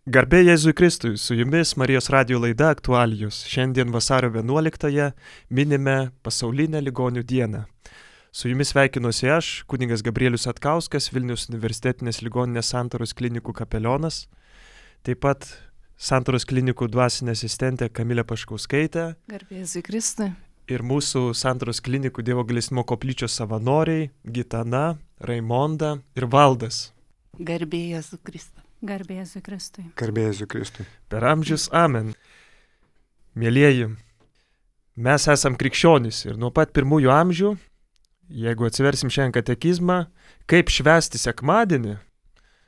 Garbė Jėzui Kristui, su jumis Marijos radijo laida Aktualijos. Šiandien vasario 11-ąją minime pasaulinę ligonių dieną. Su jumis sveikinuosi aš, kunigas Gabrielius Atkauskas, Vilniaus universitetinės ligoninės Santaros klinikų kapelionas. Taip pat Santaros klinikų dvasinė asistentė Kamilė Paškauskaitė. Garbė Jėzui Kristui. Ir mūsų Santaros klinikų Dievo gailestingumo koplyčios savanoriai Gitana, Raimonda ir Valdas. Garbė Jėzui Kristui. Garbė Jėzui Kristui. Garbė Jėzui Kristui. Per amžius amen. Mielieji, mes esam krikščionys ir nuo pat pirmųjų amžių, jeigu atsiversim šiandien katekizmą, kaip švęsti sekmadienį,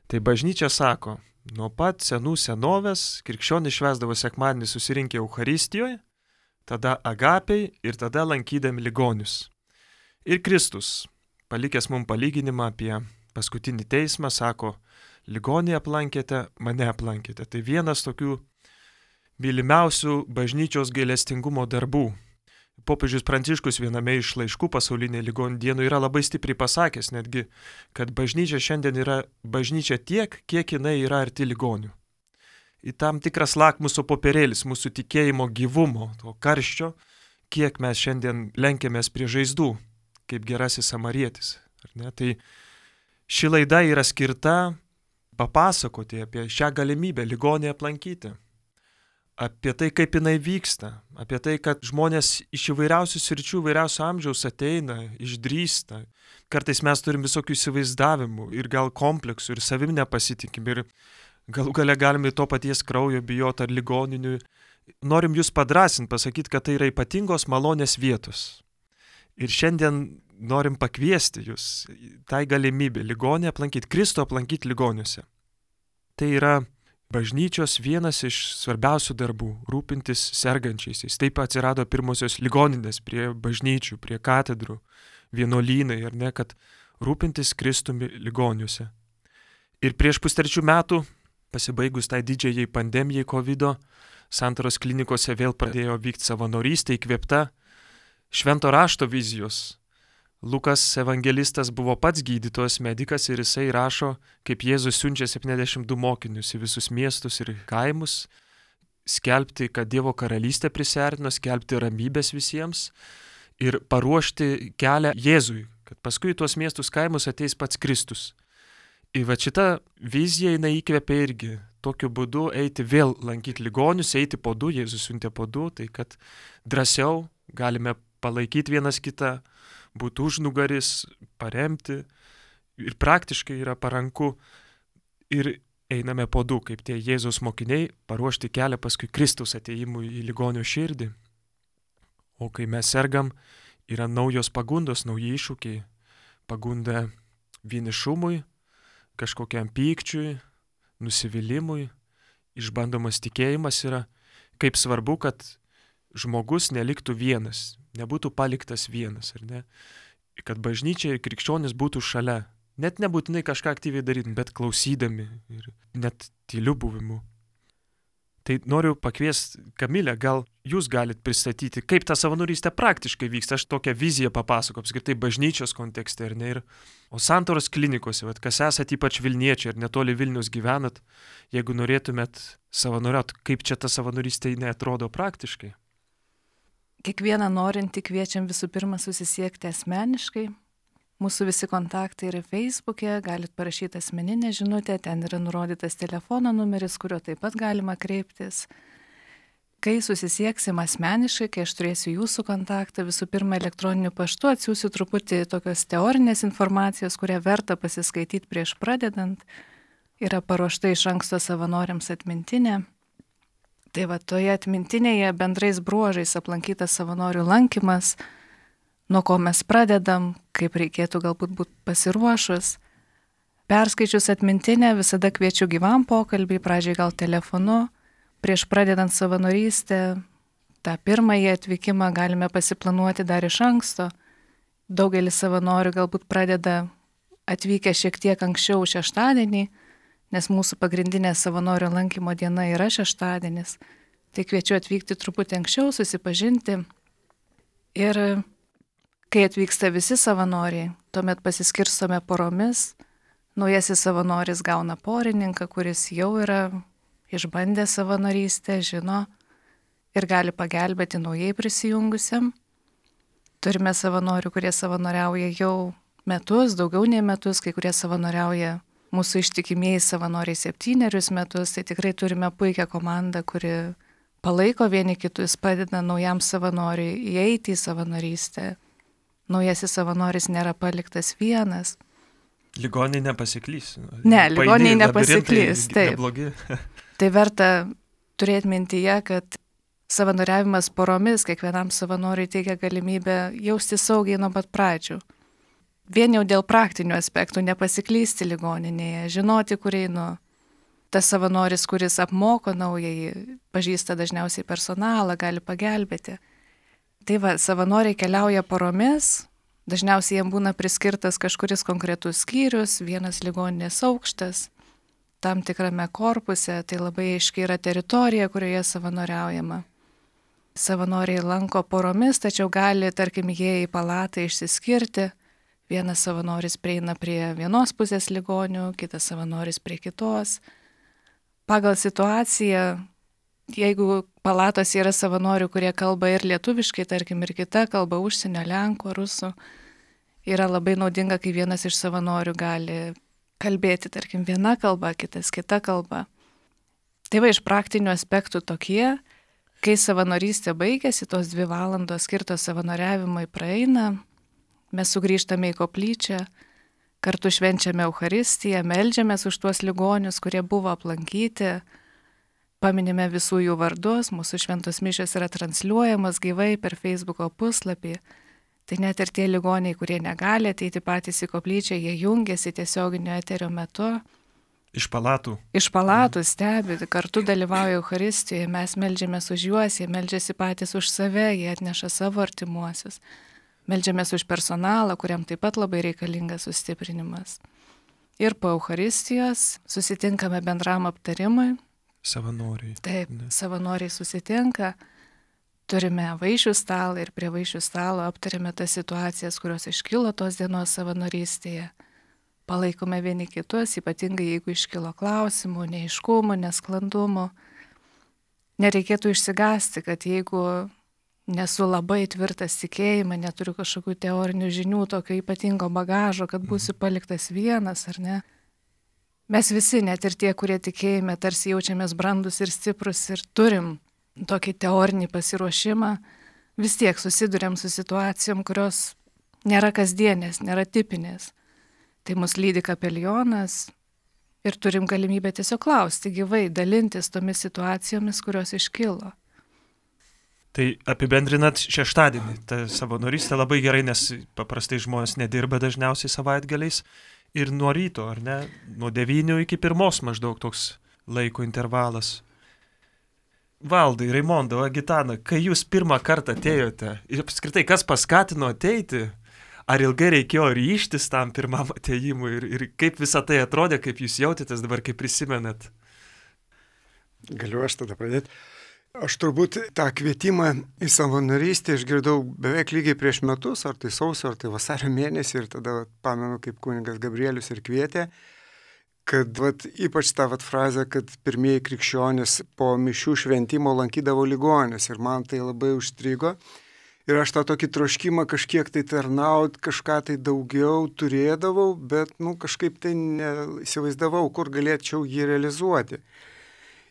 tai bažnyčia sako, nuo pat senų senovės krikščionys švęsdavo sekmadienį susirinkę Eucharistijoje, tada agapei ir tada lankydami ligonius. Ir Kristus, palikęs mums palyginimą apie paskutinį teismą, sako, ligonį aplankėte, mane aplankėte. Tai vienas tokių mylimiausių bažnyčios gailestingumo darbų. Popiežius Pranciškus viename iš laiškų pasaulinė ligonių dienų yra labai stipriai pasakęs netgi, kad bažnyčia šiandien yra bažnyčia tiek, kiek jinai yra arti ligonių. Į tam tikras lakmuso popierėlis mūsų tikėjimo gyvumo, to karščio, kiek mes šiandien lenkiamės prie žaizdų, kaip gerasis samarietis. Ar ne? Tai ši laida yra skirta papasakoti apie šią galimybę ligonį aplankyti, apie tai, kaip jinai vyksta, apie tai, kad žmonės iš įvairiausių sričių, įvairiausių amžiaus ateina, išdrįsta. Kartais mes turim visokių įsivaizdavimų ir gal kompleksų ir savim nepasitikim ir galų gale galime to paties kraujo bijoti ar ligoninių. Norim jūs padrąsinti, pasakyti, kad tai yra ypatingos malonės vietos. Ir šiandien norim pakviesti jūs tai galimybė ligonį aplankyti, Kristų aplankyti ligoniuose. Tai yra bažnyčios vienas iš svarbiausių darbų - rūpintis sergančiaisiais. Taip atsirado pirmosios ligoninės prie bažnyčių, prie katedrų, vienuolynai, ar ne, kad rūpintis Kristumi ligoniuose. Ir prieš pustrečių metų, pasibaigus tai didžiajai pandemijai COVID, Santaros klinikose vėl pradėjo vykti savanorystė įkvėpta Švento rašto vizijos. Lukas evangelistas buvo pats gydytojas, medikas ir jisai rašo, kaip Jėzus siunčia 72 mokinius į visus miestus ir kaimus, skelbti, kad Dievo karalystė prisiartino, skelbti ramybės visiems ir paruošti kelią Jėzui, kad paskui į tuos miestus kaimus ateis pats Kristus. Ir va šita vizija jinai įkvėpė irgi tokiu būdu eiti vėl lankyti ligonius, eiti po du, Jėzus siuntė po du, tai kad drąsiau galime palaikyti vienas kitą, būti užnugaris, paremti ir praktiškai yra paranku ir einame po du, kaip tie Jėzaus mokiniai, paruošti kelią paskui Kristaus atėjimui į ligonio širdį. O kai mes sergam, yra naujos pagundos, nauji iššūkiai, pagunda vienišumui, kažkokiam pykčiui, nusivylimui, išbandomas tikėjimas yra, kaip svarbu, kad žmogus neliktų vienas, nebūtų paliktas vienas, ar ne? Kad bažnyčia ir krikščionis būtų šalia. Net nebūtinai kažką aktyviai daryti, bet klausydami ir net tyliu buvimu. Tai noriu pakviesti Kamilę, gal jūs galite pristatyti, kaip ta savanorystė praktiškai vyksta. Aš tokią viziją papasakau, apskritai bažnyčios kontekste, ar ne? O Santaros klinikose, kas esat ypač Vilniečiai ir netoli Vilnius gyvenat, jeigu norėtumėt savanoriauti, kaip čia ta savanorystė neatrodo praktiškai? Kiekvieną norintį kviečiam visų pirma susisiekti asmeniškai. Mūsų visi kontaktai yra Facebook'e, galit parašyti asmeninę žinutę, ten yra nurodytas telefono numeris, kuriuo taip pat galima kreiptis. Kai susisieksim asmeniškai, kai aš turėsiu jūsų kontaktą, visų pirma elektroniniu paštu atsiųsiu truputį tokios teorinės informacijos, kurią verta pasiskaityti prieš pradedant. Yra paruošta iš anksto savanoriams atmintinė. Tai va, toje atmintinėje bendrais bruožais aplankytas savanorių lankymas, nuo ko mes pradedam, kaip reikėtų galbūt būti pasiruošus. Perskaičius atmintinę visada kviečiu gyvam pokalbį, pradžiai gal telefonu, prieš pradedant savanorystę, tą pirmąjį atvykimą galime pasiplanuoti dar iš anksto. Daugelis savanorių galbūt pradeda atvykę šiek tiek anksčiau šeštadienį, nes mūsų pagrindinė savanorių lankymo diena yra šeštadienis. Tai kviečiu atvykti truputį anksčiau, susipažinti. Ir kai atvyksta visi savanoriai, tuomet pasiskirstome poromis. Naujasis savanoris gauna porininką, kuris jau yra išbandė savanorystę, žino ir gali pagelbėti naujai prisijungusiam. Turime savanorių, kurie savanoriauja jau metus, daugiau nei metus, kai kurie savanoriauja mūsų ištikimieji savanoriai 7 metus, tai tikrai turime puikią komandą, kuri palaiko vieni kitus, padeda naujam savanoriui įeiti į savanorystę. Naujasis savanoris nėra paliktas vienas. Ligoniai nepasiklys. Ne, ligoniai nepasiklys, taip. Neblogi. Tai verta turėti mintyje, kad savanoriavimas poromis kiekvienam savanoriui teikia galimybę jausti saugiai nuo pat pradžių. Vien jau dėl praktinių aspektų nepasiklysti ligoninėje, žinoti, kur einu. Tas savanoris, kuris apmoko naujai, pažįsta dažniausiai personalą, gali pagelbėti. Tai va, savanoriai keliauja poromis, dažniausiai jiems būna priskirtas kažkuris konkretus skyrius, vienas ligoninės aukštas, tam tikrame korpuse, tai labai aiškiai yra teritorija, kurioje savanoriaujama. Savanoriai lanko poromis, tačiau gali, tarkim, jie į palatą išsiskirti. Vienas savanoris prieina prie vienos pusės ligonių, kitas savanoris prie kitos. Pagal situaciją, jeigu palatose yra savanorių, kurie kalba ir lietuviškai, tarkim, ir kita kalba, užsienio, lenkų, rusų, yra labai naudinga, kai vienas iš savanorių gali kalbėti, tarkim, viena kalba, kitas kita kalba. Tai va, iš praktinių aspektų tokie, kai savanorystė baigėsi, tos 2 valandos skirtos savanoriavimui praeina, mes sugrįžtame į koplyčią, kartu švenčiame Eucharistiją, meldžiamės už tuos ligonius, kurie buvo aplankyti, paminime visų jų vardus, mūsų šventos mišios yra transliuojamos gyvai per Facebooko puslapį. Tai net ir tie ligoniai, kurie negali ateiti patys į koplyčią, jie jungiasi tiesioginio eterio metu. Iš palatų. Iš palatų stebi, kartu dalyvauja Eucharistijoje, mes meldžiamės už juos, jie meldžiasi patys už save, jie atneša savo artimuosius. Meldžiamės už personalą, kuriam taip pat labai reikalingas sustiprinimas. Ir po Eucharistijos susitinkame bendram aptarimui. Savanoriai. Taip, savanoriai susitinka, turime vaišių stalą ir prie vaišių stalo aptarėme tas situacijas, kurios iškilo tos dienos savanorystėje. Palaikome vieni kitus, ypatingai jeigu iškilo klausimų, neaiškumų, nesklandumų. Nereikėtų išsigąsti, kad jeigu nesu labai tvirtas tikėjimą, neturiu kažkokių teorinių žinių, tokio ypatingo bagažo, kad būsiu paliktas vienas, ar ne? Mes visi, net ir tie, kurie tikėjime, tarsi jaučiamės brandus ir stiprus ir turim tokį teorinį pasiruošimą, vis tiek susiduriam su situacijom, kurios nėra kasdienės, nėra tipinės. Tai mus lydi kapelionas ir turim galimybę tiesiog klausti gyvai, dalintis tomis situacijomis, kurios iškilo. Tai apibendrinat šeštadienį, ta savanorystė labai gerai, nes paprastai žmonės nedirba dažniausiai savaitgaliais ir nuo ryto, ar ne, nuo 9 iki 1 maždaug toks laiko intervalas. Valdai, Raimonda, Gitana, kai jūs pirmą kartą atėjote ir apskritai kas paskatino ateiti, ar ilgai reikėjo ryžtis tam pirmam atėjimui ir kaip visą tai atrodė, kaip jūs jautėtės dabar, kaip prisimenat? Galiu aš tada pradėti. Aš turbūt tą kvietimą į savanorystę išgirdau beveik lygiai prieš metus, ar tai sausio, ar tai vasario mėnesį, ir tada pamenu, kaip kunigas Gabrielius ir kvietė, kad ypač tą frazę, kad pirmieji krikščionys po mišių šventimo lankydavo ligonius, ir man tai labai užstrigo. Ir aš tą tokį troškimą kažkiek tai tarnaut, kažką tai daugiau turėdavau, bet kažkaip tai neįsivaizdavau, kur galėčiau jį realizuoti.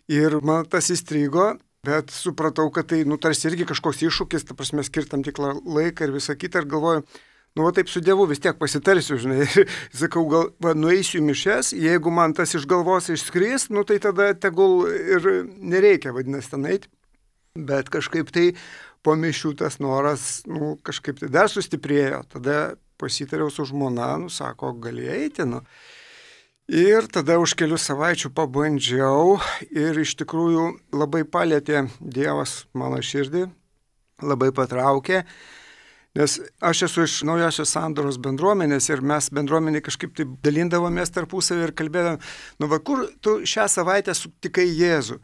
Ir man tas įstrigo. Bet supratau, kad tai, tarsi irgi kažkoks iššūkis, ta prasme, skirtam tikrą laiką ir visą kitą, ir galvoju, taip su Dievu vis tiek pasitarsiu, žinai, ir sakau, nueisiu į mišes, jeigu man tas iš galvos išskris, tai tada tegul ir nereikia, vadinasi, ten eiti. Bet kažkaip tai po mišių tas noras, kažkaip tai dar sustiprėjo, tada pasitariau su žmona, sako, gali eiti, Ir tada už kelių savaičių pabandžiau ir iš tikrųjų labai palėtė Dievas mano širdį, labai patraukė, nes aš esu iš Naujosios Sandoros bendruomenės ir mes bendruomenė kažkaip taip dalindavomės tarpusavį ir kalbėdavom, kur tu šią savaitę sutikai Jėzų.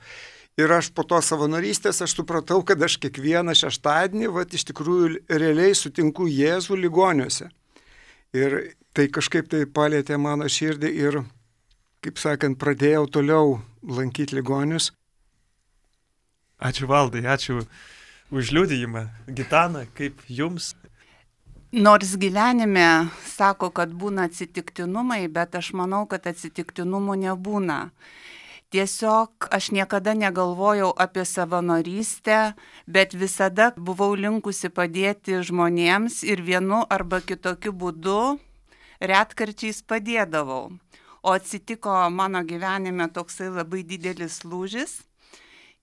Ir aš po to savanorystės aš supratau, kad aš kiekvieną šeštadienį iš tikrųjų realiai sutinku Jėzų ligoniuose. Ir tai kažkaip tai palėtė mano širdį ir kaip sakant, pradėjau toliau lankyti ligonius. Ačiū Valdai, ačiū už liudijimą. Gitana, kaip jums? Nors gyvenime sako, kad būna atsitiktinumai, bet aš manau, kad atsitiktinumų nebūna. Tiesiog aš niekada negalvojau apie savanorystę, bet visada buvau linkusi padėti žmonėms ir vienu arba kitokiu būdu retkarčiais padėdavau. O atsitiko mano gyvenime toksai labai didelis lūžis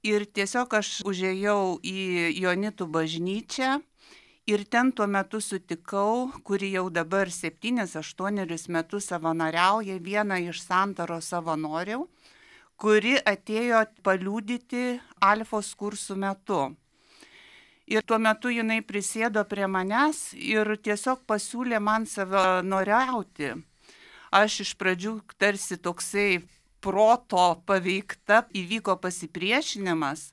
ir tiesiog aš užėjau į Joanitų bažnyčią ir ten tuo metu sutikau, kuri jau dabar 7-8 metus savanoriauja, vieną iš Santaros savanorių, kuri atėjo paliudyti Alfos kursų metu. Ir tuo metu jinai prisėdo prie manęs ir tiesiog pasiūlė man savanoriauti. Aš iš pradžių tarsi toksai proto paveikta, įvyko pasipriešinimas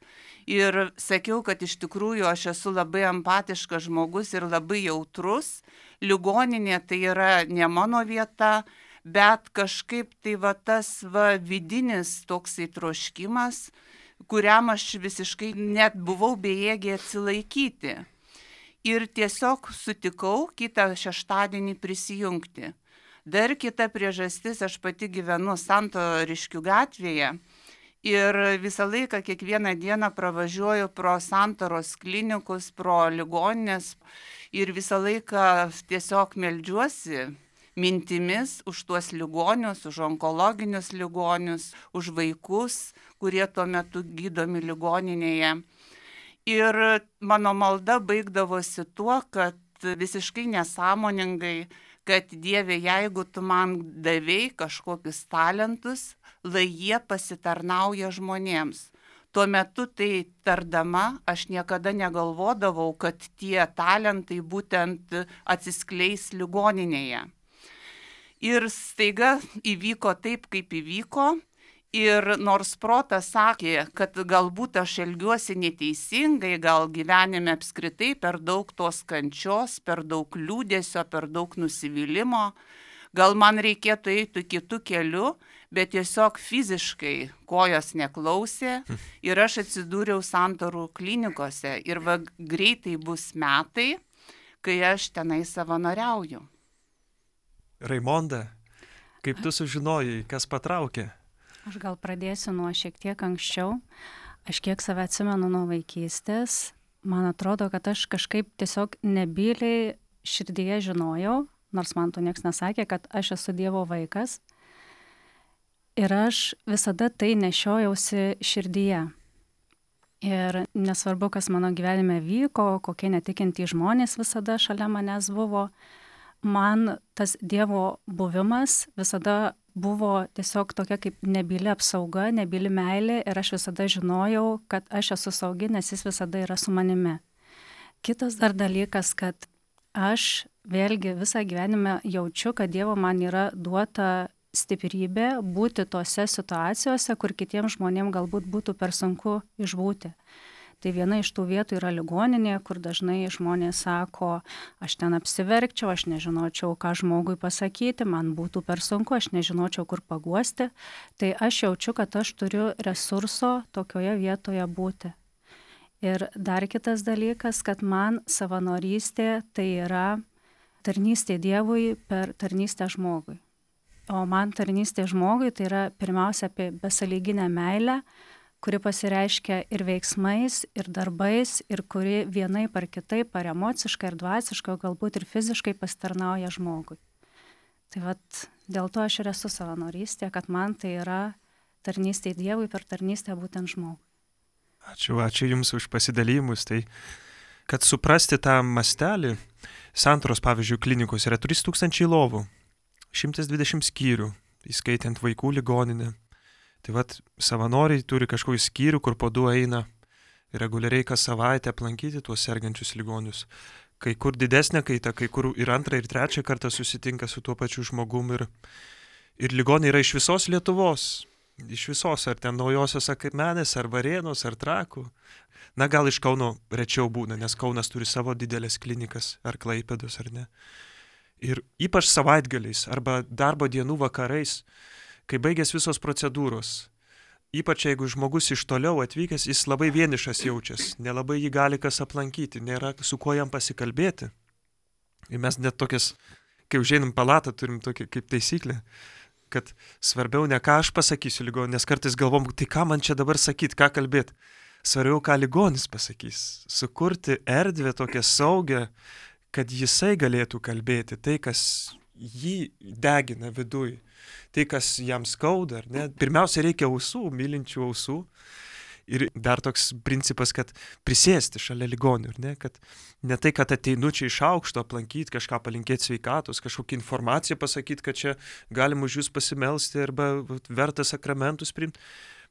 ir sakiau, kad iš tikrųjų aš esu labai empatiškas žmogus ir labai jautrus. Ligoninė tai yra ne mano vieta, bet kažkaip tai tas vidinis toksai troškimas, kuriam aš visiškai net buvau bejėgė atsilaikyti. Ir tiesiog sutikau kitą šeštadienį prisijungti. Dar kita priežastis, aš pati gyvenu Santariškių gatvėje ir visą laiką, kiekvieną dieną pravažiuoju pro Santaros klinikus, pro ligoninės ir visą laiką tiesiog meldžiuosi mintimis už tuos ligonius, už onkologinius ligonius, už vaikus, kurie tuo metu gydomi ligoninėje. Ir mano malda baigdavosi tuo, kad visiškai nesąmoningai, kad Dieve, jeigu tu man davei kažkokius talentus, lai jie pasitarnauja žmonėms. Tuo metu tai tardama, aš niekada negalvodavau, kad tie talentai būtent atsiskleis ligoninėje. Ir staiga įvyko taip, kaip įvyko. Ir nors protas sakė, kad galbūt aš elgiuosi neteisingai, gal gyvenime apskritai per daug tos kančios, per daug liūdesio, per daug nusivylimimo, gal man reikėtų eiti kitų kelių, bet tiesiog fiziškai kojos neklausė ir aš atsidūriau Santarų klinikose ir greitai bus metai, kai aš tenai savanoriauju. Raimonda, kaip tu sužinojai, kas patraukė? Aš gal pradėsiu nuo šiek tiek anksčiau. Aš kiek save atsimenu nuo vaikystės. Man atrodo, kad aš kažkaip tiesiog nebyliai širdyje žinojau, nors man to nieks nesakė, kad aš esu Dievo vaikas. Ir aš visada tai nešiojausi širdyje. Ir nesvarbu, kas mano gyvenime vyko, kokie netikintys žmonės visada šalia manęs buvo, man tas Dievo buvimas visada buvo tiesiog tokia kaip nebyli apsauga, nebyli meilė ir aš visada žinojau, kad aš esu saugi, nes jis visada yra su manimi. Kitas dar dalykas, kad aš vėlgi visą gyvenimą jaučiu, kad Dievo man yra duota stiprybė būti tose situacijose, kur kitiems žmonėms galbūt būtų per sunku išbūti. Tai viena iš tų vietų yra ligoninė, kur dažnai žmonės sako, aš ten apsiverkčiau, aš nežinočiau, ką žmogui pasakyti, man būtų per sunku, aš nežinočiau, kur paguosti. Tai aš jaučiu, kad aš turiu resurso tokioje vietoje būti. Ir dar kitas dalykas, kad man savanorystė tai yra tarnystė Dievui per tarnystę žmogui. O man tarnystė žmogui tai yra pirmiausia apie besąlyginę meilę, kuri pasireiškia ir veiksmais, ir darbais, ir kuri vienaip ar kitaip, ar emociškai, ar dvasiškai, o galbūt ir fiziškai pasitarnauja žmogui. Tai vat dėl to aš ir esu savanorystė, kad man tai yra tarnystė Dievui per tarnystę būtent žmogui. Ačiū Jums už pasidalymus. Tai, kad suprasti tą mastelį, Santaros, pavyzdžiui, klinikos yra 3000 lovų, 120 skyrių, įskaitant vaikų ligoninę. Tai vat savanoriai turi kažkokį skyrių, kur po 2 eina reguliariai kas savaitę aplankyti tuos sergančius ligonius. Kai kur didesnė kaita, kai kur ir 2. ir 3. kartą susitinka su tuo pačiu žmogum. Ir ligoniai yra iš visos Lietuvos. Iš visos, ar ten Naujosios Akmenės, ar Varėnos, ar Trakų. Na, gal iš Kauno rečiau būna, nes Kaunas turi savo didelės klinikas, ar Klaipėdos, ar ne. Ir ypač savaitgaliais, arba darbo dienų vakarais, kai baigės visos procedūros, ypač jeigu žmogus iš toliau atvykęs, jis labai vienišas jaučiasi, nelabai jį gali kas aplankyti, nėra su kuo jam pasikalbėti. Ir mes net tokias, kai užeinam palatą, turim tokį kaip taisyklę, kad svarbiau ne ką aš pasakysiu ligoniui, nes kartais galvom, tai ką man čia dabar sakyti, ką kalbėti. Svarbiau, ką ligonis pasakys. Sukurti erdvę tokią saugę, kad jisai galėtų kalbėti tai, kas jį degina viduj, tai, kas jam skauda, ar ne? Pirmiausia, reikia ausų, mylinčių ausų. Ir dar toks principas, kad prisėsti šalia ligonių, ar ne? Kad ne tai, kad ateinu čia iš aukšto aplankyti, kažką palinkėti sveikatos, kažkokią informaciją pasakyti, kad čia galim už jūs pasimelsti arba verta sakramentus priimti,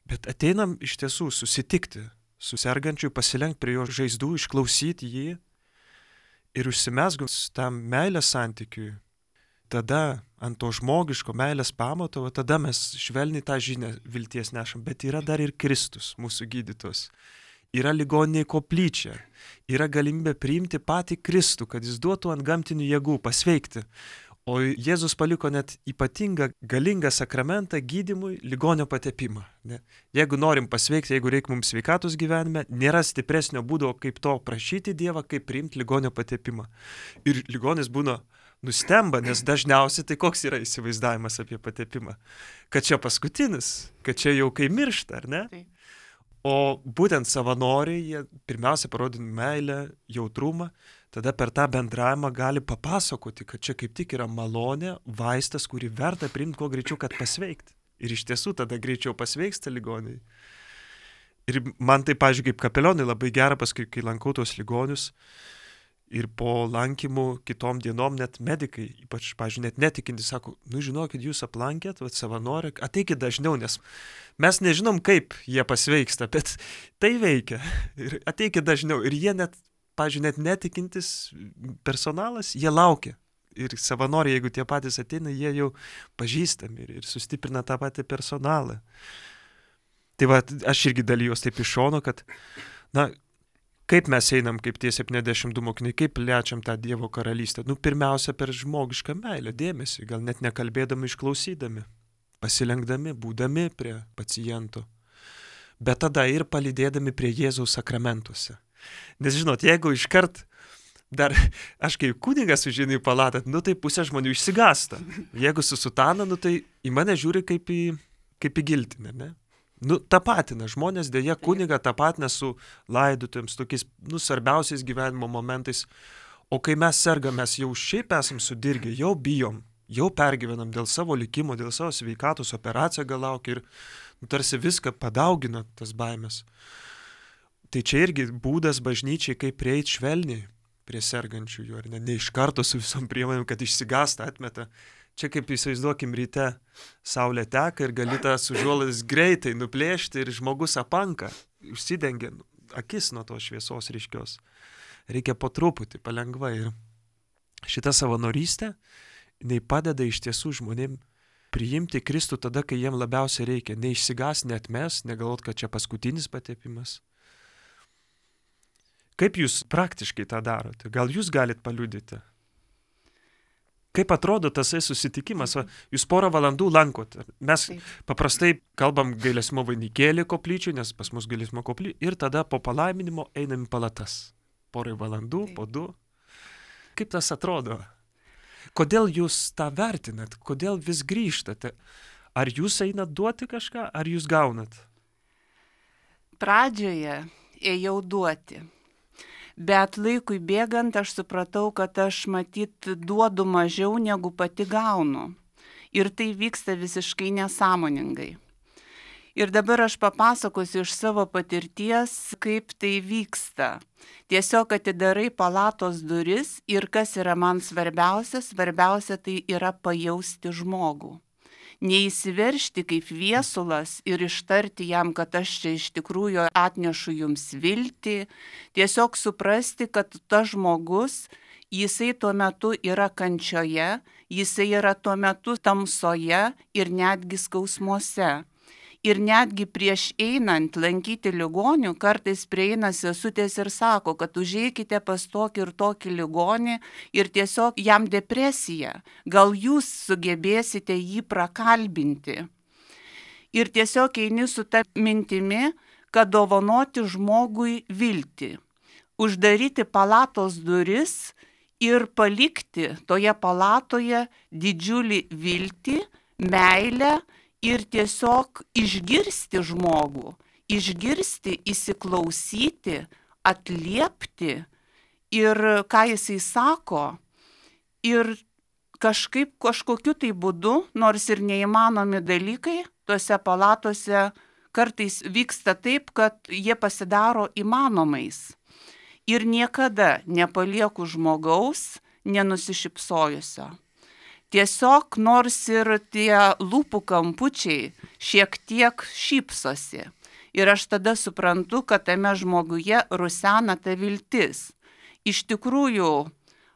bet ateinam iš tiesų susitikti su sergančiu, pasilenkti prie jo žaizdų, išklausyti jį ir užsimesgus tam meilės santykiui. Tada ant to žmogiško meilės pamato, tada mes švelniai tą žinią vilties nešam. Bet yra dar ir Kristus, mūsų gydytos. Yra ligoniniai koplyčia. Yra galimybė priimti patį Kristų, kad jis duotų ant gamtinių jėgų pasveikti. O Jėzus paliko net ypatingą, galingą sakramentą gydymui ligonio patepimą. Ne? Jeigu norim pasveikti, jeigu reikia mums sveikatos gyvenime, nėra stipresnio būdo, kaip to prašyti Dievą, kaip priimti ligonio patepimą. Ir ligonis būna nustemba, nes dažniausiai tai koks yra įsivaizdavimas apie patepimą. Kad čia paskutinis, kad čia jau kai miršta, ar ne? Taip. O būtent savanoriai, jie pirmiausia parodina meilę, jautrumą, tada per tą bendravimą gali papasakoti, kad čia kaip tik yra malonė, vaistas, kurį verta priimti kuo greičiau, kad pasveikti. Ir iš tiesų tada greičiau pasveiksta ligoniai. Ir man tai, pavyzdžiui, kaip kapelionai labai gera, paskui, kai lankau tos ligonius, ir po lankymų kitom dienom net medikai, ypač, pavyzdžiui, net netikinti, sako, žinokit, jūs aplankėt, savanoriai, ateikit dažniau, nes mes nežinom, kaip jie pasveiksta, bet tai veikia. Ir ateikit dažniau. Ir jie net, pavyzdžiui, net netikintis personalas, jie laukia. Ir savanoriai, jeigu tie patys ateina, jie jau pažįstami ir sustiprina tą patį personalą. Tai va, aš irgi dalyjuos taip iš šono, kad, kaip mes einam, kaip tie 72 mokiniai, kaip plečiam tą Dievo karalystę? Pirmiausia, per žmogišką meilę, dėmesį, gal net nekalbėdami, išklausydami, pasilenkdami, būdami prie paciento. Bet tada ir palydėdami prie Jėzaus sakramentuose. Nes žinot, jeigu iškart dar aš kaip kunigas užeinu į palatą, tai pusė žmonių išsigąsta. Jeigu su sutana, tai į mane žiūri kaip į giltinę, ne? Tapatina žmonės, dėja kunigą tapatina su laidotuvėms, tokiais, svarbiausiais gyvenimo momentais. O kai mes sergam, mes jau šiaip esam sudirgę, jau bijom, jau pergyvenam dėl savo likimo, dėl savo sveikatos, operacija gal laukia ir tarsi viską padaugina tas baimės. Tai čia irgi būdas bažnyčiai, kaip prieiti švelniai prie sergančiųjų, ar ne iš karto su visom priemonėm, kad išsigąsta, atmeta. Čia kaip įsivaizduokim ryte, saulė teka ir gali tą užuolaidas greitai nuplėšti ir žmogus apanka, užsidengia akis nuo tos šviesos ryškios. Reikia po truputį, palengva. Ir šita savanorystė, jinai padeda iš tiesų žmonėm priimti Kristų tada, kai jiem labiausiai reikia. Neišsigas, neatmes, negalvot, kad čia paskutinis patepimas. Kaip jūs praktiškai tą darote? Gal jūs galit paliudyti? Kaip atrodo tasai susitikimas? Jūs porą valandų lankot. Mes paprastai kalbam gailesimo vainikėlį koplyčių, nes pas mus gailesimo koplyčių, ir tada po palaiminimo einam į palatas. Porai valandų, po 2. Kaip tas atrodo? Kodėl jūs tą vertinat? Kodėl vis grįžtate? Ar jūs einat duoti kažką, ar jūs gaunat? Pradžioje ėjau duoti. Bet laikui bėgant aš supratau, kad aš matyt duodu mažiau negu pati gaunu. Ir tai vyksta visiškai nesąmoningai. Ir dabar aš papasakosiu iš savo patirties, kaip tai vyksta. Tiesiog atidarai palatos duris ir kas yra man svarbiausia tai yra pajausti žmogų. Neįsiveržti kaip viesulas ir ištarti jam, kad aš čia iš tikrųjų atnešu jums viltį, tiesiog suprasti, kad tas žmogus, jisai tuo metu yra kančioje, jisai yra tuo metu tamsoje ir netgi skausmuose. Ir netgi prieš einant lankyti ligonių, kartais prieina sesutės ir sako, kad užeikite pas tokį ir tokį ligonį ir tiesiog jam depresija. Gal jūs sugebėsite jį prakalbinti. ir tiesiog eini su ta mintimi, kad dovanoti žmogui viltį, uždaryti palatos duris ir palikti toje palatoje didžiulį viltį, meilę ir tiesiog išgirsti žmogų, išgirsti, įsiklausyti, atliepti ir ką jisai sako ir kažkokiu tai būdu, nors ir neįmanomi dalykai, tuose palatose kartais vyksta taip, kad jie pasidaro įmanomais. Ir niekada nepalieku žmogaus nenusišypsojusio. Tiesiog nors ir tie lūpų kampučiai šiek tiek šypsosi. Ir aš tada suprantu, kad tame žmoguje rusena ta viltis. Iš tikrųjų,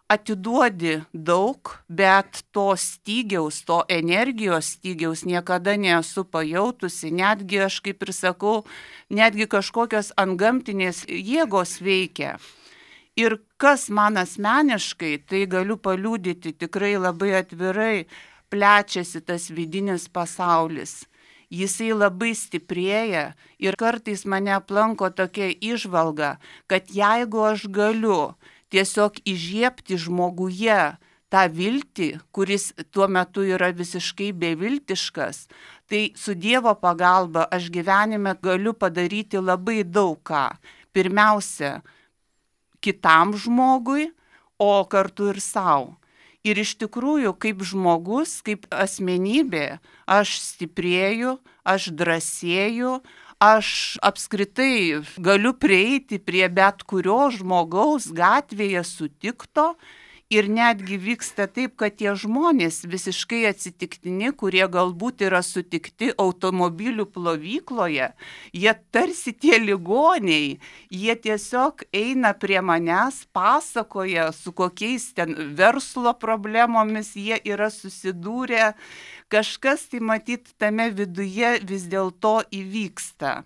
atiduodi daug, bet to stygiaus, to energijos stygiaus niekada nesu pajautusi, netgi aš kaip ir sakau, netgi kažkokios antgamtinės jėgos veikia. Ir kas man asmeniškai, tai galiu paliudyti tikrai labai atvirai, plečiasi tas vidinis pasaulis. Jisai labai stiprėja ir kartais mane aplanko tokia įžvalga, kad jeigu aš galiu tiesiog įžiebti žmoguje tą viltį, kuris tuo metu yra visiškai beviltiškas, tai su Dievo pagalba aš gyvenime galiu padaryti labai daug ką. Pirmiausia, kitam žmogui, o kartu ir sau. Ir iš tikrųjų, kaip žmogus, kaip asmenybė, aš stiprėju, aš drąsėju, aš apskritai galiu prieiti prie bet kurio žmogaus gatvėje sutikto ir netgi vyksta taip, kad tie žmonės visiškai atsitiktini, kurie galbūt yra sutikti automobilių plovykloje, jie tarsi tie ligoniai, jie tiesiog eina prie manęs, pasakoja, su kokiais ten verslo problemomis jie yra susidūrę. Kažkas tai matyt tame viduje vis dėlto įvyksta.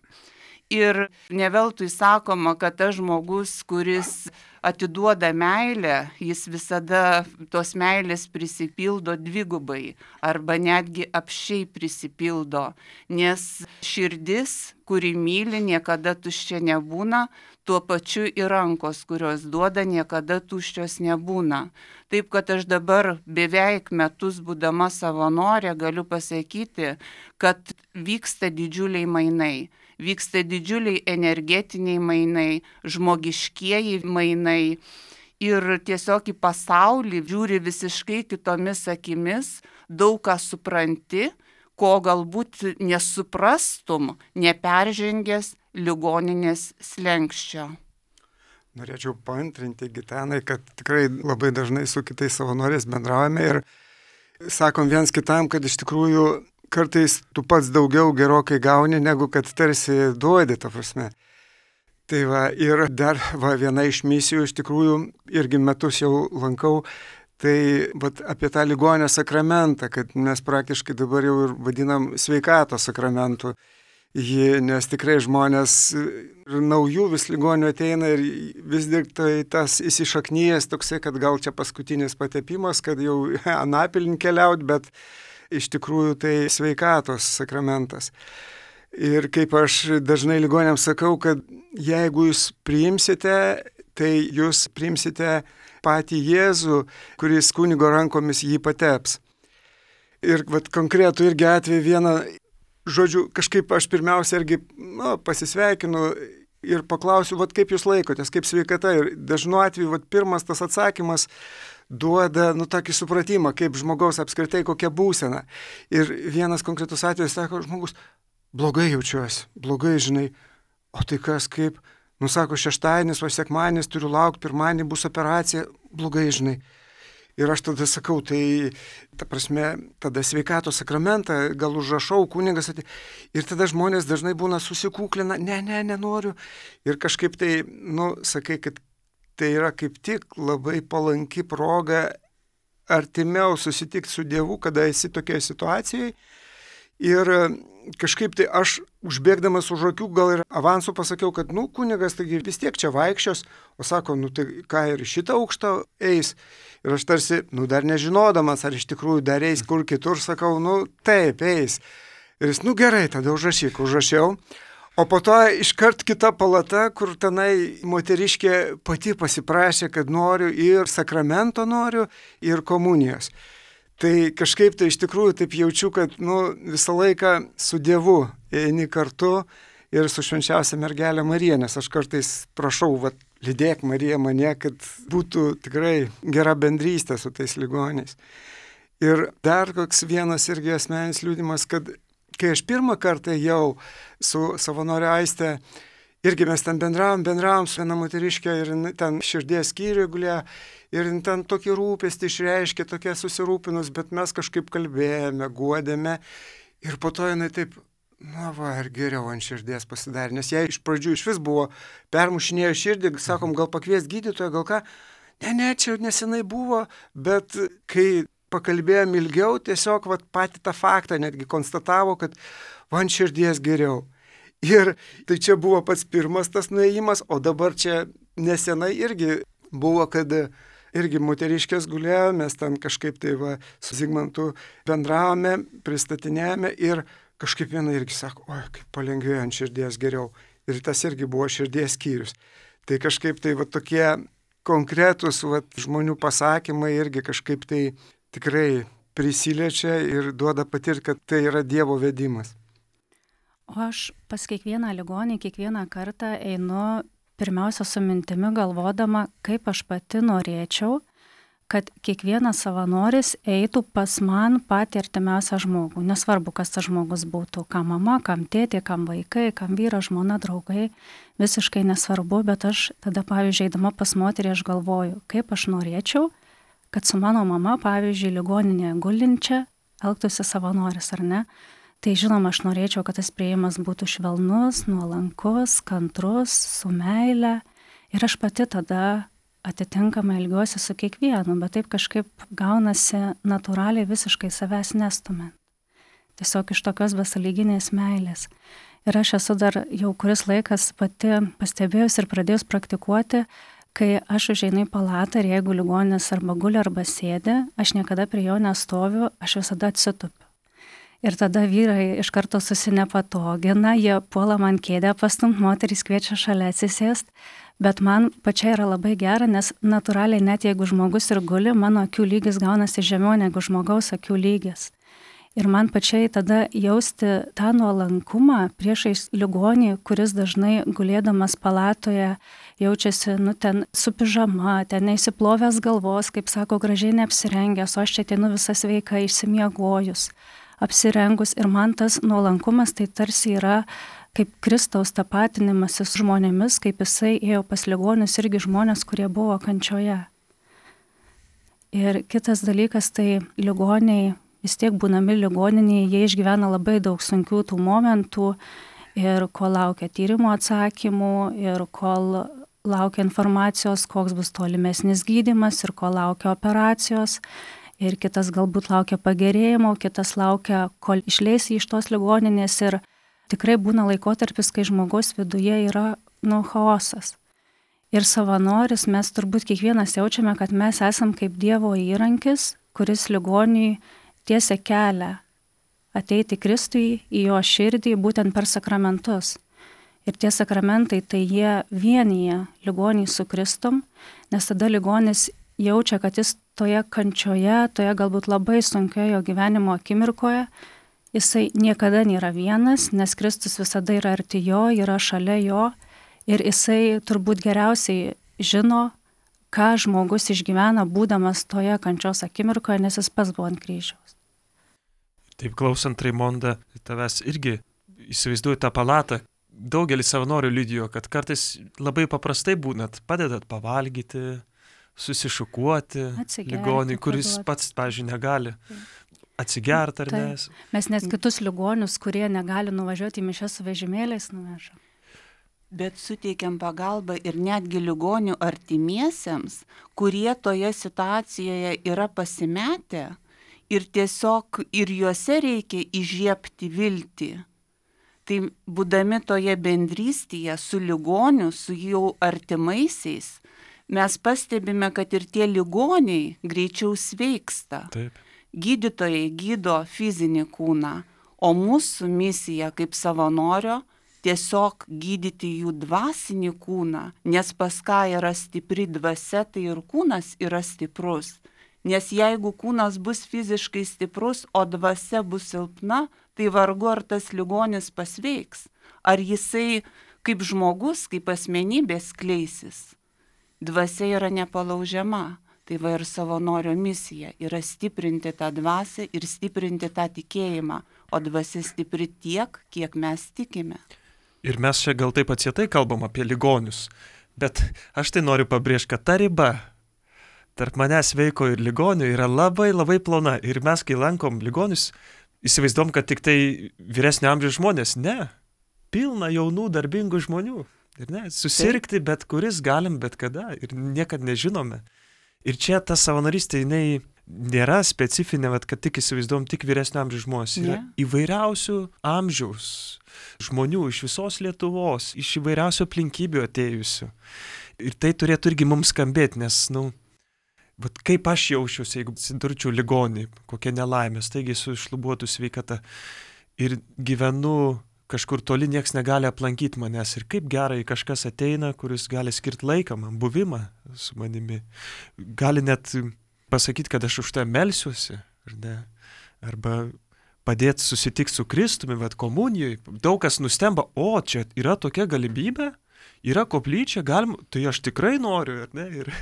Ir ne veltui sakoma, kad tas žmogus, kuris atiduoda meilę, jis visada tos meilės prisipildo dvigubai arba netgi apsčiai prisipildo, nes širdis, kuri myli, niekada tuščia nebūna, tuo pačiu ir rankos, kurios duoda, niekada tuščios nebūna. Taip, kad aš dabar beveik metus būdama savanorė galiu pasakyti, kad vyksta didžiuliai mainai. Vyksta didžiuliai energetiniai mainai, žmogiškieji mainai ir tiesiog į pasaulį žiūri visiškai kitomis akimis, daug ką supranti, ko galbūt nesuprastum, neperžengęs ligoninės slenksčio. Norėčiau paantrinti Gitanai, kad tikrai labai dažnai su kitais savanoriais bendraujame ir sakom viens kitam, kad iš tikrųjų kartais tu pats daugiau gerokai gauni, negu kad tarsi duodi, ta prasme. Tai va, ir dar viena iš misijų, iš tikrųjų, irgi metus jau lankau, tai apie tą ligonio sakramentą, kad mes praktiškai dabar jau ir vadinam sveikatos sakramentu. Nes tikrai žmonės naujų vis ligonių ateina ir vis tik tai tas įsišaknyjas toksai, kad gal čia paskutinis patepimas, kad jau anapilin keliaut, bet iš tikrųjų tai sveikatos sakramentas. Ir kaip aš dažnai ligoniams sakau, kad jeigu jūs priimsite, tai jūs priimsite patį Jėzų, kuris kunigo rankomis jį pateps. Ir konkretų irgi atveju vieną, žodžiu, kažkaip aš pirmiausia irgi pasisveikinu ir paklausiu, kaip jūs laikotės, kaip sveikata. Ir dažnu atveju pirmas tas atsakymas duoda tokį supratimą, kaip žmogaus apskritai kokia būsena. Ir vienas konkretus atvejis sako, žmogus, blogai jaučiuosi, blogai, žinai, o tai kas kaip, sako, šeštadienis, o sekmadienis turiu laukti, pirmadienį bus operacija, blogai, žinai. Ir aš tada sakau, tai, ta prasme, tada sveikatos sakramentą gal užrašau, kunigas atėjo. Ir tada žmonės dažnai būna susikūklina, nenoriu. Ir kažkaip tai, sakai, kad tai yra kaip tik labai palanki proga artimiau susitikti su Dievu, kada esi tokioje situacijoje. Ir kažkaip tai aš užbėgdamas už akių gal ir avansų pasakiau, kad kunigas taigi vis tiek čia vaikščios, o sako, tai ką ir šitą aukštą eis. Ir aš tarsi, dar nežinodamas, ar iš tikrųjų dar eis kur kitur, sakau, taip, eis. Ir jis, gerai, tada užrašiau. O po to iškart kita palata, kur tenai moteriškė pati pasiprašė, kad noriu ir sakramento noriu, ir komunijos. Tai kažkaip tai iš tikrųjų taip jaučiu, kad visą laiką su Dievu eini kartu ir su švenčiausia mergelė Marija, nes aš kartais prašau, lydėk Mariją mane, kad būtų tikrai gera bendrystė su tais ligoniais. Ir dar koks vienas irgi asmeninis liudimas, kad kai aš pirmą kartą jau su savanorė Aiste, irgi mes ten bendravom su viena moteriškė ir ten širdies skyriuje gulėjo ir ten tokį rūpestį išreiškė, tokia susirūpinus, bet mes kažkaip kalbėjome, guodėme ir po to jinai taip, ir geriau ant širdies pasidarė, nes jai iš pradžių iš vis buvo permušinėjo širdį, sakom, gal pakvies gydytoją, gal ką, ne, čia nesenai buvo, bet kai pakalbėjom ilgiau, tiesiog patį tą faktą netgi konstatavo, kad ant širdies geriau. Ir tai čia buvo pats pirmas tas nuėjimas, o dabar čia nesenai irgi buvo, kad irgi moteriškės gulėjo, mes ten kažkaip tai su Zigmantu bendravome, pristatinėjome ir kažkaip viena irgi sako, kaip palengvėjo ant širdies geriau. Ir tas irgi buvo širdies skyrius. Tai kažkaip tai tokie konkretūs žmonių pasakymai irgi kažkaip tai tikrai prisiliečia ir duoda patirti, kad tai yra Dievo vedimas. O aš pas kiekvieną ligonį, kiekvieną kartą einu pirmiausia su mintimi galvodama, kaip aš pati norėčiau, kad kiekvienas savanoris eitų pas man patį artimiausią žmogų. Nesvarbu, kas tas žmogus būtų, kam mama, kam tėtė, kam vaikai, kam vyras, žmona, draugai, visiškai nesvarbu, bet aš tada, pavyzdžiui, eidama pas moterį, aš galvoju, kaip aš norėčiau, kad su mano mama, pavyzdžiui, ligoninėje gulinčia, elgtųsi savanoris, ar ne? Tai žinoma, aš norėčiau, kad tas priėjimas būtų švelnus, nuolankus, kantrus, su meile. Ir aš pati tada atitinkamai elgiuosi su kiekvienu, bet taip kažkaip gaunasi natūraliai visiškai savęs nestumint. Tiesiog iš tokios besąlyginės meilės. Ir aš esu dar jau kuris laikas pati pastebėjus ir pradėjus praktikuoti, kai aš užeinu į palatą ir jeigu ligonis arba guli arba sėdi, aš niekada prie jo nestoviu, aš visada atsitupiu. Ir tada vyrai iš karto susinepatogina, jie puola man kėdę pastumt, moterys kviečia šalia atsisėst, bet man pačiai yra labai gera, nes natūraliai net jeigu žmogus ir guli, mano akių lygis gaunasi žemiau negu žmogaus akių lygis. Ir man pačiai tada jausti tą nuolankumą priešais ligonį, kuris dažnai gulėdamas palatoje jaučiasi, ten su pižama, ten neįsiplovęs galvos, kaip sako, gražiai neapsirengęs, o aš čia ateinu visą sveiką išsimiegojus, apsirengus. Ir man tas nuolankumas tai tarsi yra kaip Kristaus tapatinimasis žmonėmis, kaip jisai ėjo pas ligonius, irgi žmonės, kurie buvo kančioje. Ir kitas dalykas, tai ligoniai, vis tiek būnami ligoninėje, jie išgyvena labai daug sunkių tų momentų ir kol laukia tyrimo atsakymų, ir kol laukia informacijos, koks bus tolimesnis gydymas, ir kol laukia operacijos, ir kitas galbūt laukia pagerėjimo, kitas laukia, kol išleis iš tos ligoninės, ir tikrai būna laikotarpis, kai žmogaus viduje yra chaosas. Ir savanoris, mes turbūt kiekvienas jaučiame, kad mes esam kaip Dievo įrankis, kuris ligoniui tiesia kelią ateiti Kristui į jo širdį būtent per sakramentus. Ir tie sakramentai, tai jie vienyje ligonį su Kristum, nes tada ligonis jaučia, kad jis toje kančioje, toje galbūt labai sunkioje gyvenimo akimirkoje, jisai niekada nėra vienas, nes Kristus visada yra arti jo, yra šalia jo ir jisai turbūt geriausiai žino, ką žmogus išgyvena, būdamas toje kančios akimirkoje, nes jis pats buvo ant kryžiaus. Taip klausant, Raimonda, tavęs irgi įsivaizduoju tą palatą. Daugelis savanorių liudijo, kad kartais labai paprastai būnat, padedat pavalgyti, susišukuoti ligoniui, kuris pats, pavyzdžiui, negali atsigerti ar ne. Mes net kitus ligonius, kurie negali nuvažiuoti į mišias su vežimėliais, nuvežam. Bet suteikiam pagalbą ir netgi ligonių artimiesiems, kurie toje situacijoje yra pasimetę ir tiesiog ir juose reikia įžiebti viltį. Tai būdami toje bendrystėje su ligoniu, su jau artimaisiais, mes pastebime, kad ir tie ligoniai greičiau sveiksta. Taip. Gydytojai gydo fizinį kūną, O mūsų misija kaip savanorio tiesiog gydyti jų dvasinį kūną, nes pas ką yra stipri dvasia, tai ir kūnas yra stiprus. Nes jeigu kūnas bus fiziškai stiprus, o dvasia bus silpna, tai vargu ar tas ligonis pasveiks. Ar jisai kaip žmogus, kaip asmenybė skleisis. Dvasia yra nepalaužiama. Tai va ir savanorio misija yra stiprinti tą dvasią ir stiprinti tą tikėjimą, o dvasia stipri tiek, kiek mes tikime. Ir mes čia gal taip atsietai kalbam apie ligonius, bet aš tai noriu pabrėžti, kad ta riba tarp manęs sveiko ir ligonių yra labai labai plona. Ir mes, kai lankom ligonius, įsivaizduom, kad tik tai vyresnio amžiaus žmonės. Ne, pilna jaunų darbingų žmonių. Ir ne, susirgti bet kuris galim bet kada ir niekad nežinome. Ir čia ta savanorystė, jinai nėra specifinė, kad tik įsivaizduom tik vyresnio amžiaus žmonės. Yra įvairiausių amžiaus žmonių iš visos Lietuvos, iš įvairiausių aplinkybių atėjusių. Ir tai turėtų irgi mums skambėti, nes, bet kaip aš jaučiuosi, jeigu atsidurčiau ligonį, kokia nelaimė, taigi su iššlubuotų sveikata ir gyvenu kažkur toli, nieks negali aplankyti manęs. Ir kaip gerai kažkas ateina, kuris gali skirti laiką man, buvimą su manimi. Gali net pasakyti, kad aš už tai melsiuosi, ar ne? Arba padėti susitikti su Kristumi, komunijoje. Daug kas nustemba, čia yra tokia galimybė, yra koplyčia, galim, tai aš tikrai noriu, ar ne? Ir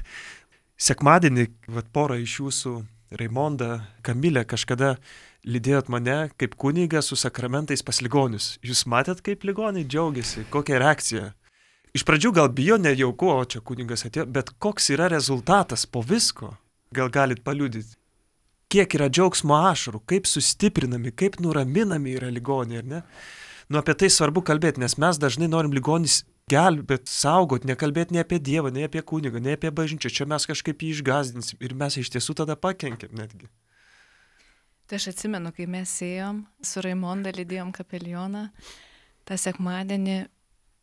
sekmadienį, pora iš jūsų, Raimonda, Kamilė, kažkada lydėjot mane kaip kunigą su sakramentais pas ligonius. Jūs matėt, kaip ligoniai džiaugiasi, kokia reakcija. Iš pradžių gal bijo, nejauku, čia kunigas atėjo, bet koks yra rezultatas po visko? Gal galit paliudyti? Kiek yra džiaugsmo ašarų, kaip sustiprinami, kaip nuraminami yra ligoniai, ar ne? Apie tai svarbu kalbėti, nes mes dažnai norim ligonis gelbėti, saugoti, nekalbėti nei apie Dievą, nei apie kunigą, nei apie bažnyčią. Čia mes kažkaip jį išgąsdinsim ir mes iš tiesų tada pakenkiam netgi. Tai aš atsimenu, kai mes ėjom su Raimonda, lydėjom kapelioną, tą sekmadienį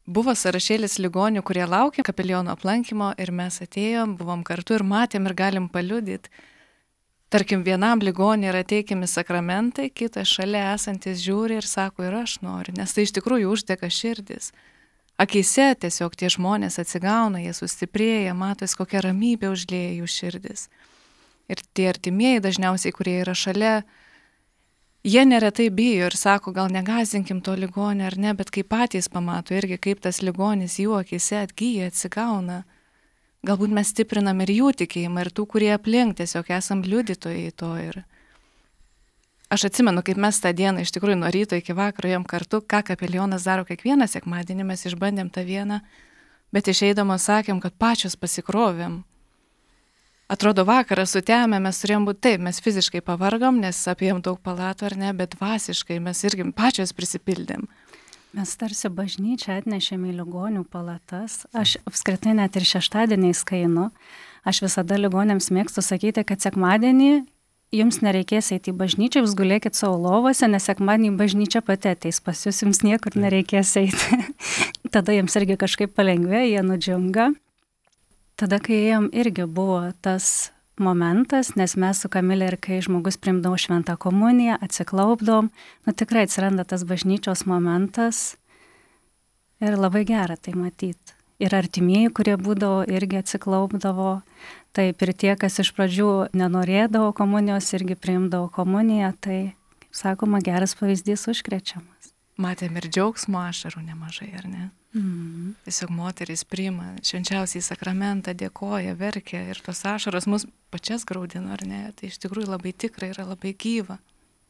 buvo sąrašėlis ligonių, kurie laukė kapeliono aplankymo ir mes atėjom, buvom kartu ir matėm ir galim paliudyti. Tarkim, vienam ligoniui yra teikiami sakramentai, kitas šalia esantis žiūri ir sako, ir aš noriu, nes tai iš tikrųjų uždega širdis. Akyse tiesiog tie žmonės atsigauna, jie sustiprėja, matos, kokia ramybė užlieja jų širdis. Ir tie artimieji dažniausiai, kurie yra šalia, jie neretai bijo ir sako, gal negazinkim to ligonio ar ne, bet kai patys pamato irgi, kaip tas ligonis jų akyse atgyja, atsigauna. Galbūt mes stiprinam ir jų tikėjimą, ir tų, kurie aplink, tiesiog esam liudytojai to. Ir aš atsimenu, kaip mes tą dieną iš tikrųjų nuo ryto iki vakaro ėjom kartu, ką kapelionas daro kiekvieną sekmadienį, mes išbandėm tą vieną, bet išeidamos sakėm, kad pačios pasikrovėm. Atrodo, vakarą sutemę mes turėjom būti taip, mes fiziškai pavargom, nes apėjom daug palatų ar ne, bet dvasiškai mes irgi pačios prisipildėm. Mes tarsi bažnyčią atnešėme į ligonių palatas. Aš apskritai net ir šeštadieniais, kai einu, aš visada ligonėms mėgstu sakyti, kad sekmadienį jums nereikės eiti į bažnyčią, jūs gulėkit savo lovose, nes sekmadienį bažnyčia pati ateis pas jūs, jums niekur nereikės eiti. Tada jiems irgi kažkaip palengvėja, jie nudžiunga. Tada, kai ėjom, irgi buvo tas momentas, nes mes su Kamilė ir kai žmogus priimdavo šventą komuniją, atsiklaupdom, tikrai atsiranda tas bažnyčios momentas ir labai gera tai matyti. Ir artimieji, kurie būdavo, irgi atsiklaupdavo, taip ir tie, kas iš pradžių nenorėdavo komunijos, irgi priimdavo komuniją, tai, kaip sakoma, geras pavyzdys užkrečiamas. Matėm ir džiaugsmo ašarų nemažai, ar ne? Tiesiog moteris priima švenčiausiai sakramentą, dėkoja, verkia ir tos ašaros mus pačias graudina, ar ne? Tai iš tikrųjų labai tikrai yra labai gyva.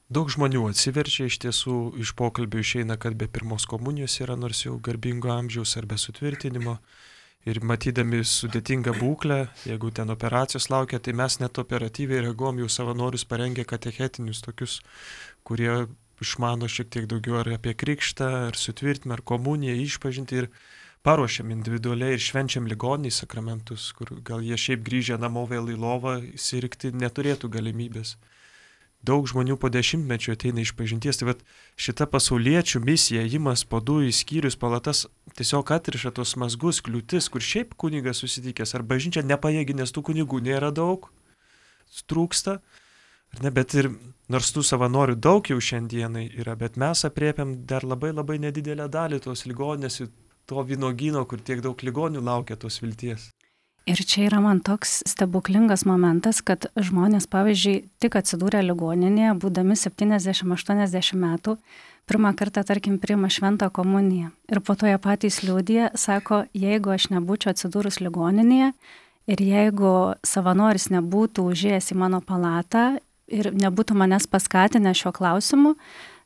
Daug žmonių atsiverčia, iš tiesų iš pokalbių išeina, kad be pirmos komunijos yra, nors jau garbingo amžiaus ar be sutvirtinimo. Ir matydami sudėtingą būklę, jeigu ten operacijos laukia, tai mes net operatyviai reaguom, jau savanorius parengė katechetinius tokius, kurie išmano šiek tiek daugiau ar apie krikštą, ar sutvirtinimą, ar komuniją, išpažinti ir paruošiam individualiai ir švenčiam ligoniai sakramentus, kur gal jie šiaip grįžę namo vėl į lovą sirgti neturėtų galimybės. Daug žmonių po 10 ateina išpažinties, tai šita pasauliečių misija, ėjimas po 2 skyrius palatas tiesiog atriša tos mazgus, kliūtis, kur šiaip kunigas susitikęs, ar bažnyčia nepajėgi, nes tų kunigų nėra daug, trūksta. Ar ne, bet ir nors tų savanorių daug jau šiandienai yra, bet mes apriepiam dar labai labai nedidelę dalį tos ligoninės ir to vynuogyno, kur tiek daug ligonių laukia tos vilties. Ir čia yra man toks stebuklingas momentas, kad žmonės, pavyzdžiui, tik atsidūrę ligoninėje, būdami 70-80 metų, pirmą kartą, tarkim, priima šventą komuniją. Ir po to jie patys liudija, sako, jeigu aš nebūčiau atsidūrus ligoninėje ir jeigu savanoris nebūtų užėjęs į mano palatą ir nebūtų manęs paskatinę šiuo klausimu,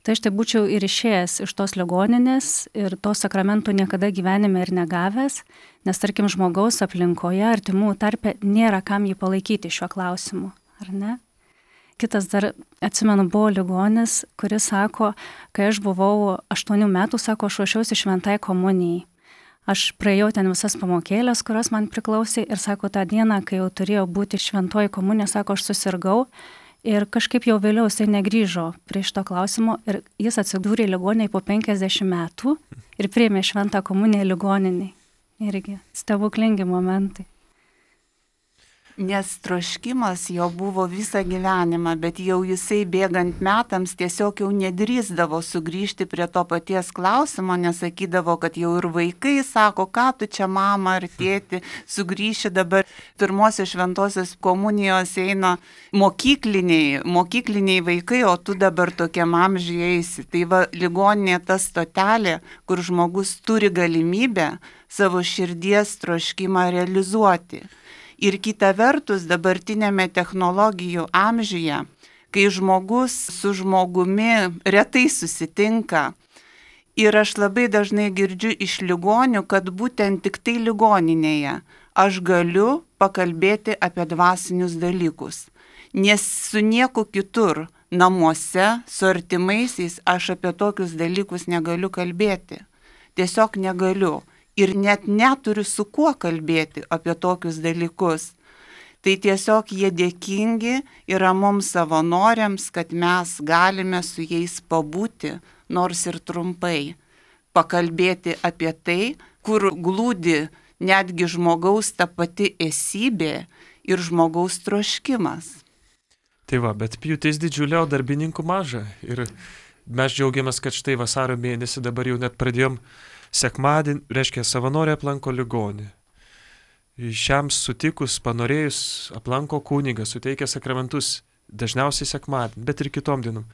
tai aš tai būčiau ir išėjęs iš tos ligoninės ir to sakramentų niekada gyvenime ir negavęs, nes, tarkim, žmogaus aplinkoje, artimų tarpe nėra kam jį palaikyti šiuo klausimu, ar ne? Kitas dar, atsimenu, buvo ligonis, kuris sako, kai aš buvau 8 metų, sako, aš ruošiausi šventai komunijai. Aš praėjau ten visas pamokėlės, kurios man priklausė ir sako, tą dieną, kai jau turėjo būti šventoji komunija, sako, aš susirgau. Ir kažkaip jau vėliau jisai negrįžo prie šito klausimo ir jis atsidūrė ligoniniai po 50 metų ir priėmė šventą komuniją ligoniniai. Irgi stebuklingi momentai. Nes troškimas jo buvo visą gyvenimą, bet jau jisai bėgant metams tiesiog jau nedrįsdavo sugrįžti prie to paties klausimo, nes sakydavo, kad jau ir vaikai sako, ką tu čia mama ar tėti, sugrįši dabar. Pirmosios šventosios komunijos eina mokykliniai vaikai, o tu dabar tokiam amžiui eisi. Tai va, ligoninė ta stotelė, kur žmogus turi galimybę savo širdies troškimą realizuoti. Ir kita vertus, dabartinėme technologijų amžiuje, kai žmogus su žmogumi retai susitinka, ir aš labai dažnai girdžiu iš ligonių, kad būtent tik tai ligoninėje aš galiu pakalbėti apie dvasinius dalykus. Nes su nieku kitur, namuose, su artimaisiais, aš apie tokius dalykus negaliu kalbėti. Tiesiog negaliu. Ir net neturiu su kuo kalbėti apie tokius dalykus. Tai tiesiog jie dėkingi yra mums savanoriams, kad mes galime su jais pabūti, nors ir trumpai, pakalbėti apie tai, kur glūdi netgi žmogaus ta pati esybė ir žmogaus troškimas. Tai va, bet pjūtis didžiulė, o darbininkų maža. Ir mes džiaugiamės, kad štai vasario mėnesį dabar jau net pradėjom sekmadienį, reiškia, savanoriai aplanko ligonį. Šiam sutikus, panorėjus, aplanko kunigą, suteikia sakramentus, dažniausiai sekmadienį, bet ir kitom dienom.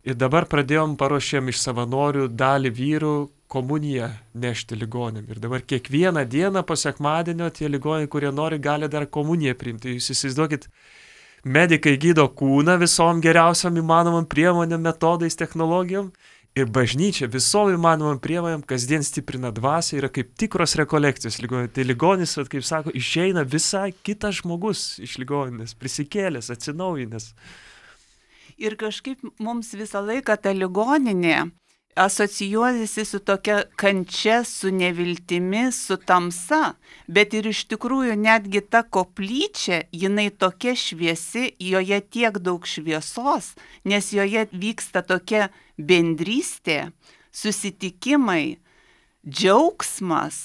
Ir dabar paruošėm iš savanorių dalį vyrų komuniją nešti ligonėm. Ir dabar kiekvieną dieną po sekmadienio tie ligoniai, kurie nori, gali dar komuniją priimti. Jūs įsivaizduokit, medikai gydo kūną visom geriausiam įmanomam priemonėm, metodais, technologijom. Ir bažnyčia visom įmanomam priemonėm kasdien stiprina dvasią, yra kaip tikros rekolekcijos ligoninė. Tai ligonis, kaip sako, išeina visai kitas žmogus iš ligoninės, prisikėlęs, atsinaujinęs. Ir kažkaip mums visą laiką ta ligoninė asocijuojasi su tokia kančia, su neviltimi, su tamsa, bet ir iš tikrųjų netgi ta koplyčia, jinai tokia šviesi, joje tiek daug šviesos, nes joje vyksta tokia bendrystė, susitikimai, džiaugsmas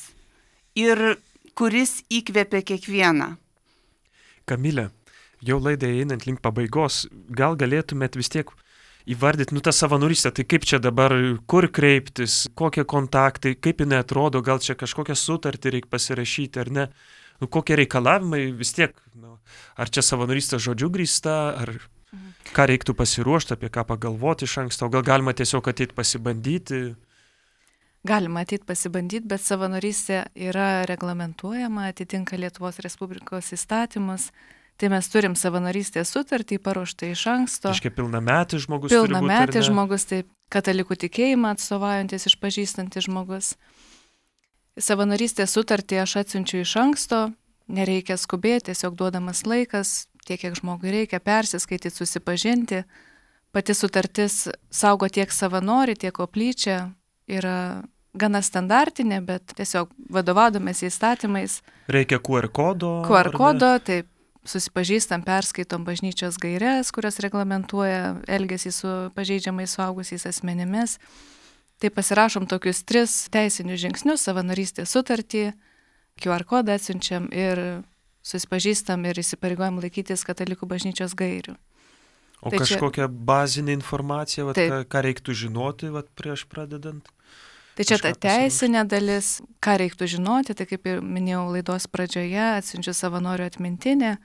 ir kuris įkvepia kiekvieną. Kamilė, jau laidai einant link pabaigos, gal galėtumėt vis tiek įvardyti, tą savanorystę, tai kaip čia dabar, kur kreiptis, kokie kontaktai, kaip jinai atrodo, gal čia kažkokią sutartį reikia pasirašyti ar ne, kokie reikalavimai vis tiek, ar čia savanorystė žodžiu grįsta, ar ką reiktų pasiruošti, apie ką pagalvoti iš anksto, gal galima tiesiog ateiti pasibandyti. Galima ateiti pasibandyti, bet savanorystė yra reglamentuojama, atitinka Lietuvos Respublikos įstatymus. Tai mes turim savanorystės sutartį paruoštą iš anksto. Iškia pilnametis žmogus turi būti, ar ne? Pilnametis žmogus, taip, katalikų tikėjimą atstovaujantis, išpažįstantis žmogus. Savanorystės sutartį aš atsiunčiu iš anksto, nereikia skubėti, tiesiog duodamas laikas, tiek kiek žmogui reikia persiskaityti, susipažinti. Pati sutartis saugo tiek savanorių, tiek koplyčią, yra gana standartinė, bet tiesiog vadovaudomės įstatymais. Reikia QR kodo. QR kodo, taip. Susipažįstam, perskaitom bažnyčios gaires, kurios reglamentuoja elgesį su pažeidžiamais suaugusiais asmenimis. Tai pasirašom tokius 3 teisinius žingsnius, savanorystės sutartį, QR kodą atsiunčiam ir susipažįstam ir įsipareigojam laikytis katalikų bažnyčios gairių. O Tai čia- kažkokia bazinė informacija, vat, Taip. ką reiktų žinoti vat, prieš pradedant? Tai čia ta Kažką pasiruošti. teisinė dalis, ką reiktų žinoti, tai kaip ir minėjau laidos pradžioje, atsiunčiu savanorių atmintinę,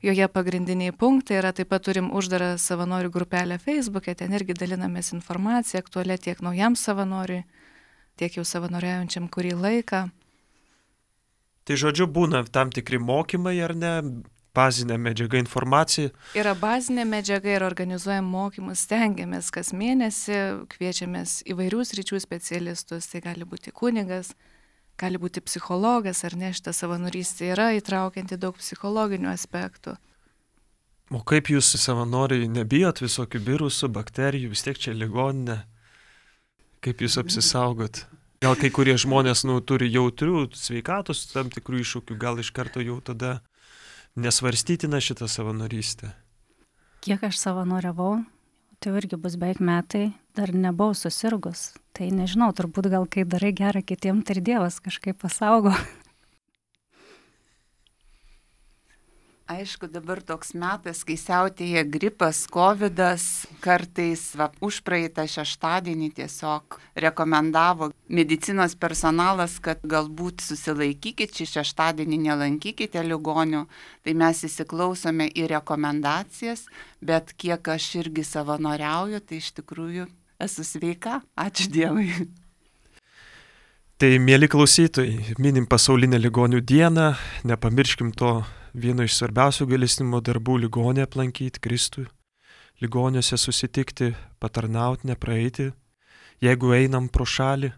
joje pagrindiniai punktai yra, taip pat turim uždarą savanorių grupelę Facebook'e, ten irgi dalinamės informaciją, aktualią tiek naujam savanoriui, tiek jau savanoriaujančiam kurį laiką. Tai žodžiu, būna tam tikri mokymai ar ne, bazinė medžiaga informacija. Yra bazinė medžiaga ir organizuojam mokymus, stengiamės kas mėnesį, kviečiamės įvairių sričių specialistus, tai gali būti kunigas, gali būti psichologas, ar ne, šita savanorystė yra įtraukianti daug psichologinių aspektų. O kaip jūs savanoriai nebijot visokių virusų, bakterijų, vis tiek čia ligoninė? Kaip jūs apsisaugot? Gal kai kurie žmonės turi jautrių sveikatos tam tikrų iššūkių, gal iš karto jau tada nesvarstytina šitą savanorystę? Kiek aš savanoriavau, tai irgi bus beveik metai, dar nebuvau susirgus. Tai nežinau, turbūt gal kai darai gerą kitiem, tai ir Dievas kažkaip pasaugo. Aišku, dabar toks metas, kai siautėja gripas, covidas, kartais užpraeitą šeštadienį tiesiog rekomendavo medicinos personalas, kad galbūt susilaikykit, šį šeštadienį nelankykite ligonių, tai mes įsiklausome į rekomendacijas, bet kiek aš irgi savanoriauju, tai iš tikrųjų esu sveika, ačiū Dievui. Tai, mėly klausytojai, minim pasaulinę ligonių dieną, nepamirškim to vieno iš svarbiausių gailestingumo darbų - ligonį aplankyti, Kristų, ligoniuose susitikti, patarnauti, nepraeiti, jeigu einam pro šalį.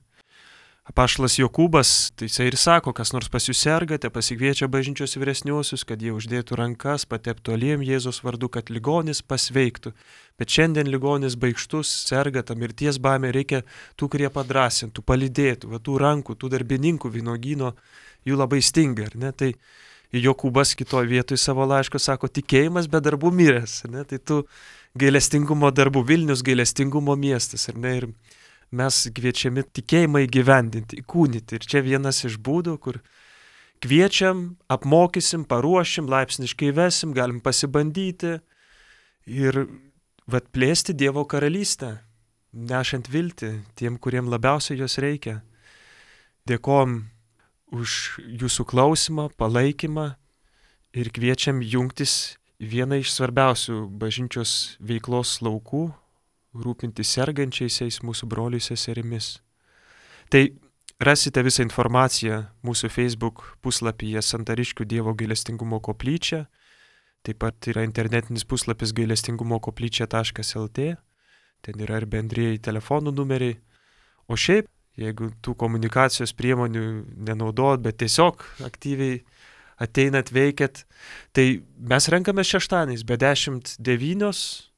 Apaštalas Jokūbas, tai jisai ir sako, kas nors pas jūs sergate, pasikviečia bažnyčios vyresniuosius, kad jie uždėtų rankas, pateptų aliejum Jėzaus vardu, kad ligonis pasveiktų. Bet šiandien ligonis baikštus, serga, ta mirties baimė, reikia tų, kurie padrasintų, palydėtų, va, tų rankų, tų darbininkų vynogyno, jų labai stinga, ar ne? Tai Jokūbas kitoje vietoje savo laiško sako, tikėjimas be darbų miręs, ar ne? Tai tų gailestingumo darbų, Vilnius gailestingumo miestas, ar ne? Ir mes kviečiami tikėjimą įgyvendinti, įkūnyti. Ir čia vienas iš būdų, kur kviečiam, apmokysim, paruošim, laipsniškai vesim, galim pasibandyti ir plėsti Dievo karalystę, nešant viltį tiem, kuriem labiausiai jos reikia. Dėkojom už jūsų klausimą, palaikymą ir kviečiam jungtis į vieną iš svarbiausių bažnyčios veiklos laukų, rūpintis sergančiaisiais mūsų broliais seserimis. Tai rasite visą informaciją mūsų Facebook puslapyje Santariškių Dievo gailestingumo koplyčia, taip pat yra internetinis puslapis gailestingumokoplyčia.lt, ten yra ir bendrieji telefonų numeriai. O šiaip, jeigu tų komunikacijos priemonių nenaudojat, bet tiesiog aktyviai ateinat, veikiat, tai mes renkamės šeštadieniais be 10:09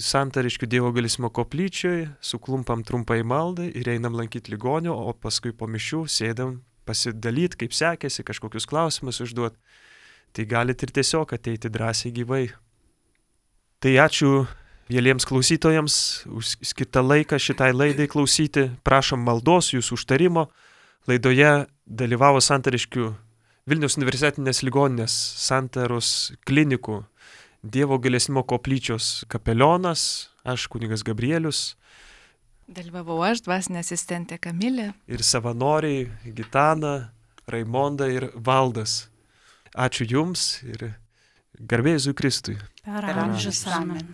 Santariškių Dievo gailestingumo koplyčioje, suklumpam trumpai maldai ir einam lankyti ligonio, o paskui po mišių sėdam pasidalyti, kaip sekėsi, kažkokius klausimus užduoti. Tai galite ir tiesiog ateiti drąsiai gyvai. Tai ačiū mieliems klausytojams už skirtą laiką šitai laidai klausyti. Prašom maldos, jūsų užtarimo. Laidoje dalyvavo Santariškių Vilniaus universitetinės ligoninės Santaros klinikų Dievo gailestingumo koplyčios kapelionas, aš kunigas Gabrielius. Dalyvavau aš, dvasinė asistentė Kamilė. Ir savanoriai Gitana, Raimonda ir Valdas. Ačiū Jums ir garbė Jėzui Kristui. Per amžius amen.